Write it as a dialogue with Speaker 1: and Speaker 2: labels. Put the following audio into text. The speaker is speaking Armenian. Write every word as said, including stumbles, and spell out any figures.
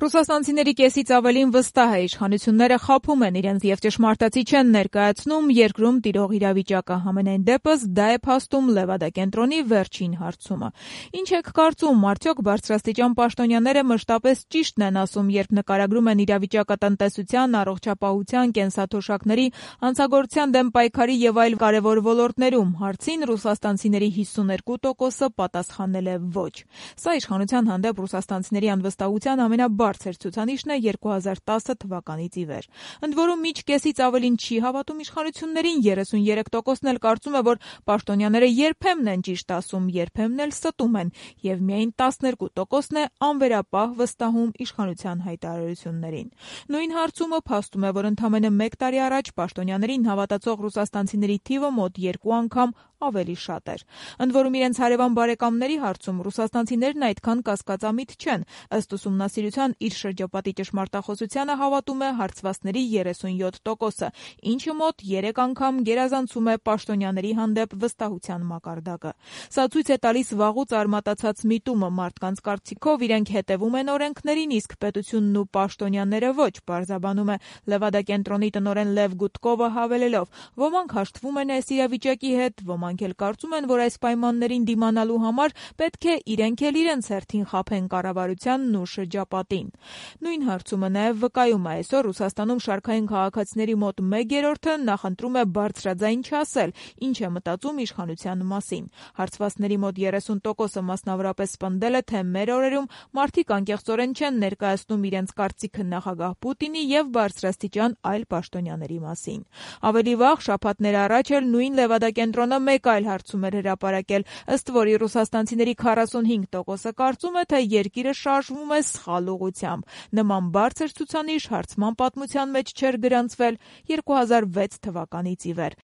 Speaker 1: Ռուսաստանցիների կեսից ավելին վստահ է իշխանությունները խաբում են իրենց եւ ճշմարտացի չեն ներկայացնում երկրում տիրող իրավիճակը։ Համենայն դեպս դա է փաստում Լևադա կենտրոնի վերջին հարցումը։ Ինչ եք կարծում, արդյոք բարձրաստիճան պաշտոնյաները մշտապես ճիշտն են ասում, երբ նկարագրում են իրավիճակը տնտեսության, առողջապահության, կենսաթոշակների, հանցագործության դեմ պայքարի եւ այլ կարեւոր ոլորտներում։ Հարցին ռուսաստանցիների հիսուներկու տոկոսը պատասխանել է ոչ։ Սա իշխանության հանդեպ ռուսաստանցիների անվստահության ամենաբարձր ցուցանիշն է երկու հազար տասը թվականից ի վեր։ Ընդ որում միջ կեսից ավելին չի հավատում իշխանություններին, երեսունյերեք տոկոսն էլ կարծում է, որ պաշտոնյաները երբեմն են ճիշտ ասում, երբեմն էլ ստում են, եւ միայն տասներկու տոկոսն է անվերապահ վստահում իշխանության հայտարարություններին։ Նույն հարցումը փաստում է, որ ընդամենը մեկ տարի առաջ պաշտոնյաներին հավատացող ռուսաստանցիների թիվը մոտ երկու անգամ ավելի շատ էր։ Ընդ որում իրենց հարևան բարեկամների հարցում ռուսաստանցիներն այդքան կասկածամիտ չեն։ Ըստ ուսումնասիրության իր շրջապատի ճշմարտախոսությանը հավատում է հարցվածների երեսունյոթ տոկոսը, ինչը մոտ երեք անգամ գերազանցում է պաշտոնյաների հանդեպ վստահության մակարդակը։ Սա ցույց է տալիս վաղուց արմատացած միտումը մարդկանց կարծիքով իրենք հետևում են օրենքներին, իսկ պետությունն ու պաշտոնյաները ոչ, պարզաբանում է Լևադա կենտրոնի տնօրեն Լև Գուտկովը հավելելով. ոմանք հաշտվում են այս իրավիճակի հետ, ոմանք էլ կարծում են, որ այս պայմաններին դիմանալու համար պետք է իրենք էլ իրենց հերթին խաբեն կառավարությանն ու շրջապատին։ Նույն հարցումը նաև վկայում է այսօր Ռուսաստանում շարքային քաղաքացիների մոտ մեկ երրորդը նախընտրում է բարձրաձայն չասել, ինչ է մտածում իշխանության մասին։ Հարցվածների մոտ երեսուն տոկոսը մասնավորապես պնդել է, թե մեր օրերում մարդիկ անկեղծորեն չեն ներկայացնում իրենց կարծիքը նախագահ Պուտինի եւ բարձրաստիճան այլ պաշտոնյաների մասին։ Ավելի վաղ շաբաթներ առաջ էլ նույն Լևադա կենտրոնը մեկ այլ հարցում էր հրապարակել, ըստ որի ռուսաստանցիների քառասունհինգ տոկոսը կարծում է, թե երկիրը շարժվում է սխալ ուղղությամբ։ Նման բարձր ցուցանիշ հարցման պատմության մեջ չէր գրանցվել երկու հազար վեց թվականից ի վեր։